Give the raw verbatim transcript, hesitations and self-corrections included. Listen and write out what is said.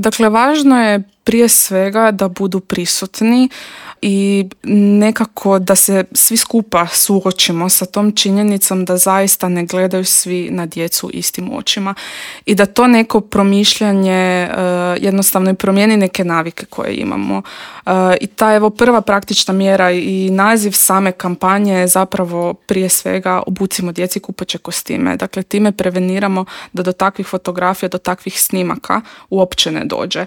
Dakle, važno je prije svega da budu prisutni i nekako da se svi skupa suočimo sa tom činjenicom da zaista ne gledaju svi na djecu istim očima i da to neko promišljanje uh, jednostavno i promijeni neke navike koje imamo. Uh, I ta evo prva praktična mjera i naziv same kampanje je zapravo prije svega obucimo djeci kupaće kostime. Dakle, time preveniramo da do takvih fotografija, do takvih snimaka uopće ne dođe.